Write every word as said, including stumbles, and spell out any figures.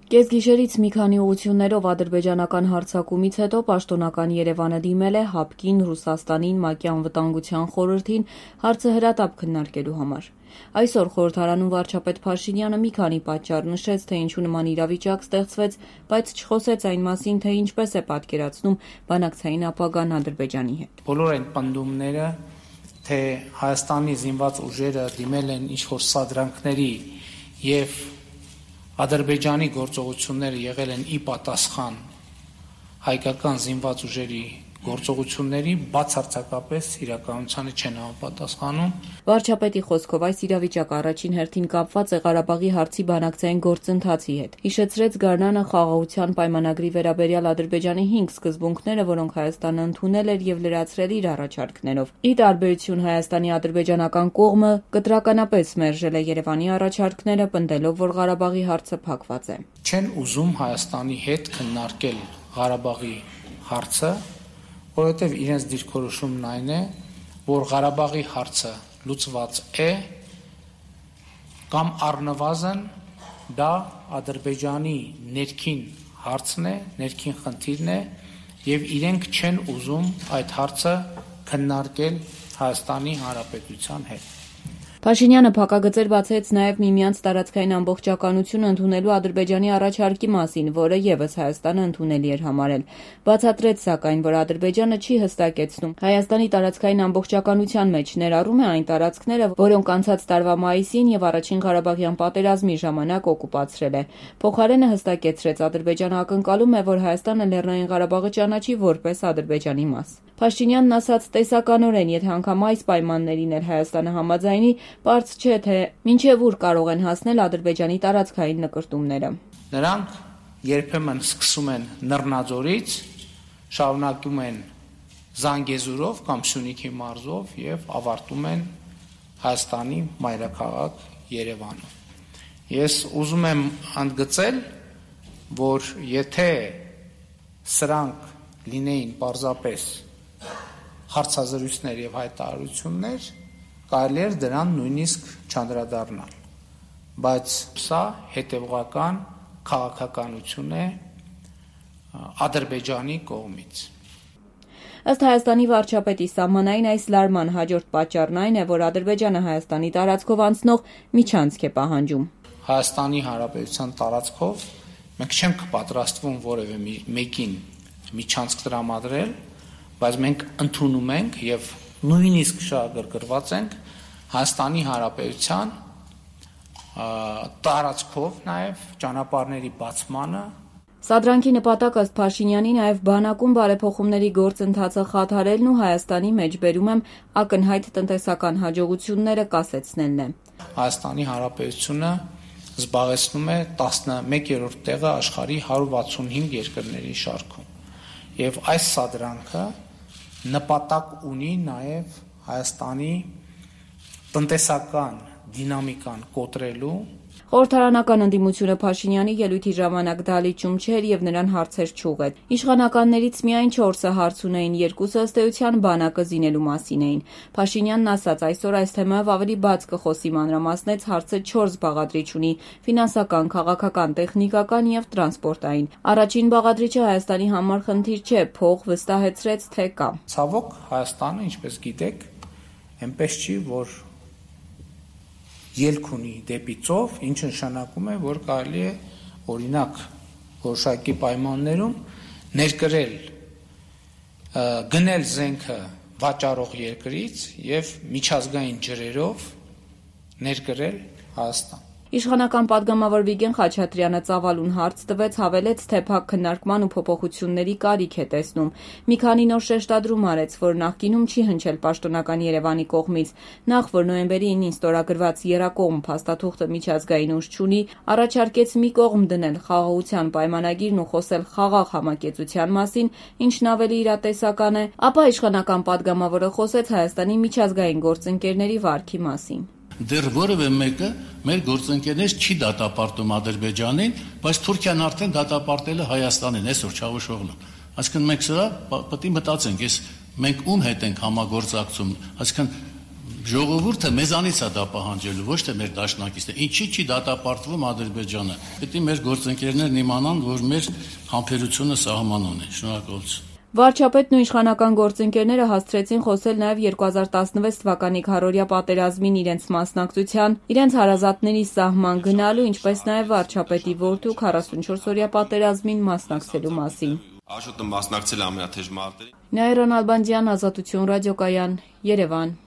Կեսգիշերից մի քանի ուղղություններով ադրբեջանական հարձակումից հետո պաշտոնական Երևանը դիմել է ՀԱՊԿ-ին, Ռուսաստանին, ՄԱԿ-ի Անվտանգության խորհրդին հարցը հրատապ քննարկելու համար։ Այսօր խորհրդարանում վարչապետ Փաշինյանը մի քանի պատճառ նշեց, թե ինչու նման իրավիճակ ստեղծվեց, բայց չխոսեց այն մասին, թե ինչպես է պատկերացնում բանակցային ապագան Ադրբեջանի հետ։ Բոլոր այն պնդումները, թե Հայաստանի զինված ուժերը դիմել են ինչ-որ սադրանքների եւ Ադրբեջանի գործողությունները եղել են ի պատասխան հայկական զինված ուժերի գործողությունների, բացարձակապես իրականությանը չեն համապատասխանում։ Վարչապետի խոսքով այս իրավիճակը առաջին հերթին կապված է Ղարաբաղի հարցի բանակցային գործընթացի հետ։ Հիշեցրեց Գարնանը խաղաղության պայմանագրի վերաբերյալ Ադրբեջանի հինգ սկզբունքները, որոնք Հայաստանը ընդունել էր եւ լրացրել իր առաջարկներով։ Ի տարբերություն Հայաստանի ադրբեջանական կողմը կտրականապես մերժել է Երևանի առաջարկները, պնդելով, որ Ղարաբաղի հարցը փակված է։ Չեն ուզում Հայաստանի հետ քննարկել Ղարաբաղի հարցը, որովհետև իրենց դիրքորոշումն այն է, որ Ղարաբաղի հարցը լուծված է կամ առնվազն դա Ադրբեջանի ներքին հարցն է, ներքին խնդիրն է եւ իրենք չեն ուզում այդ հարցը քննարկել Հայաստանի Հանրապետության հետ։ Փաշինյանը փակագծեր բացեց նաև միմյանց տարածքային ամբողջականություն ընդունելու Ադրբեջանի առաջարկի մասին, որը եւս Հայաստանը ընդունելի էր համարել։ Բացատրեց սակայն, որ Ադրբեջանը չի հստակեցնում Հայաստանի տարածքային ամբողջականության մեջ ներառում է այն տարածքները, որոնք անցած տարվա մայիսին եւ առաջին Ղարաբաղյան պատերազմի ժամանակ օկուպացրել է։ Փոխարենը հստակեցրեց, Ադրբեջանը ակնկալում է, որ Հայաստանը Լեռնային Ղարաբաղը ճանաչի որպես Ադրբեջանի մաս։ Փաշինյանն ասաց, տեսականորեն, եթե անգամ այս պայմաններին էլ Հայաստանը համաձայնի, պարզ չէ, թե մինչև ուր կարող են հասնել Ադրբեջանի տարածքային նկրտումները։ Նրանք երբեմն սկսում են Նռնաձորից, շարունակում են Զանգեզուրով կամ Սյունիքի մարզով եւ ավարտում են Հայաստանի մայրաքաղաք Երևանում։ Ես ուզում եմ ընդգծել, որ եթե սրանք լինեին պարզապես հարցազրույցներ եւ հայտարարություններ, կարելի էր դրան նույնիսկ չանդրադառնալ, բայց սա հետևողական քաղաքականություն է Ադրբեջանի կողմից։ Ըստ Հայաստանի վարչապետի սահմանային այս լարման հաջորդ պատճառն այն է, որ Ադրբեջանը Հայաստանի տարածքով անցնող միջանցք է պահանջում։ Հայաստանի Հանրապետության տարածքով մենք չենք պատրաստվում որևէ մեկին միջանցք տրամադրել, բայց մենք ընդունում ենք եւ նույնիսկ շահագրգռված ենք Հայաստանի Հանրապետության տարածքով նաև ճանապարհների բացմանը։ Սադրանքի նպատակը ըստ Փաշինյանի նաև բանակում բարեփոխումների գործընթացը խաթարելն ու Հայաստանի մեջ բերում եմ ակնհայտ տնտեսական հաջողությունները կասեցնելն է։ Հայաստանի Հանրապետությունը զբաղեցնում է տասնմեկերորդ տեղը աշխարհի հարյուր վաթսունհինգ երկրների շարքում։ Եվ այս սադրանքը նպատակ ունի նաև Հայաստանի տնտեսական դինամիկան կոտրելու։ Խորհրդարանական ընդդիմությունը Փաշինյանի ելույթի ժամանակ դալիճում չէր եւ նրան հարցեր չուղղեց։ Իշխանականներից միայն չորսը հարց ունեին, երկուսը ըստ էության բանակը զինելու մասին էին։ Փաշինյանն ասաց, այսօր այս թեմայով ավելի բաց կխոսի, մանրամասնեց, հարցը չորս բաղադրիչ ունի՝ ֆինանսական, քաղաքական, տեխնիկական եւ տրանսպորտային։ Առաջին բաղադրիչը Հայաստանի համար խնդիր չէ, փող վստահեցրեց, թե կա։ Ցավոք Հայաստանը, ինչպես գիտեք, այնպես չի, որ ելք ունի դեպի ծով, ինչը նշանակում է, որ կարելի է օրինակ որոշակի պայմաններում ներկրել գնել զենքը վաճառող երկրից եւ միջազգային ջրերով ներկրել Հայաստան։ Իշխանական պատգամավոր Վիգեն Խաչատրյանը ծավալուն հարց տվեց, հավելեց, թե փակ քննարկման ու փոփոխությունների կարիք է տեսնում։ Մի քանի նոր շեշտադրում արեց, որ նախկինում չի հնչել պաշտոնական Երևանի կողմից, նախ որ նոյեմբերի ինին ստորագրված եռակողմ փաստաթուղթը միջազգային ուժ չունի, առաջարկեց մի կողմ դնել խաղաղության պայմանագիրն ու խոսել խաղաղ համակեցության մասին, ինչն ավելի իրատեսական է, ապա իշխանական պատգամավորը խոսեց Հայաստանի միջազգային գործընկերների վարքի մասին։ Դեռ որևէ մեկը մեր գործընկերներից չի դատապարտում Ադրբեջանին, բայց Թուրքիան արդեն դատապարտել է Հայաստանին, այսօր Չավուշօղլուն։ Այսինքն մենք սրա պետք է մտածենք, ես մենք ում հետ ենք համագործակցում, այսինքն Ժողովուրդը մեզանից է դա պահանջելու, ոչ թե մեր դաշնակիցն է։ Ինչի՞ չի դատապարտվում Ադրբեջանը։ Պետք է մեր գործընկերներն իմանան, որ մեր համբերությունը սահման ունի։ Շնորհակալություն։ Վարչապետն ու իշխանական գործընկերները հասցրեցին խոսել նաև երկու հազար տասնվեց թվականի քառօրյա պատերազմին իրենց մասնակցության, իրենց հարազատների սահման գնալու, ինչպես նաև վարչապետի որդու քառասունչորսօրյա պատերազմին մասնակցելու մասին։ Աշոտը մասնակցել է ամենաթեժ մարտերին։ Նաիրա Նալբանդյան, Ազատություն ռադիոկայան, Երևան։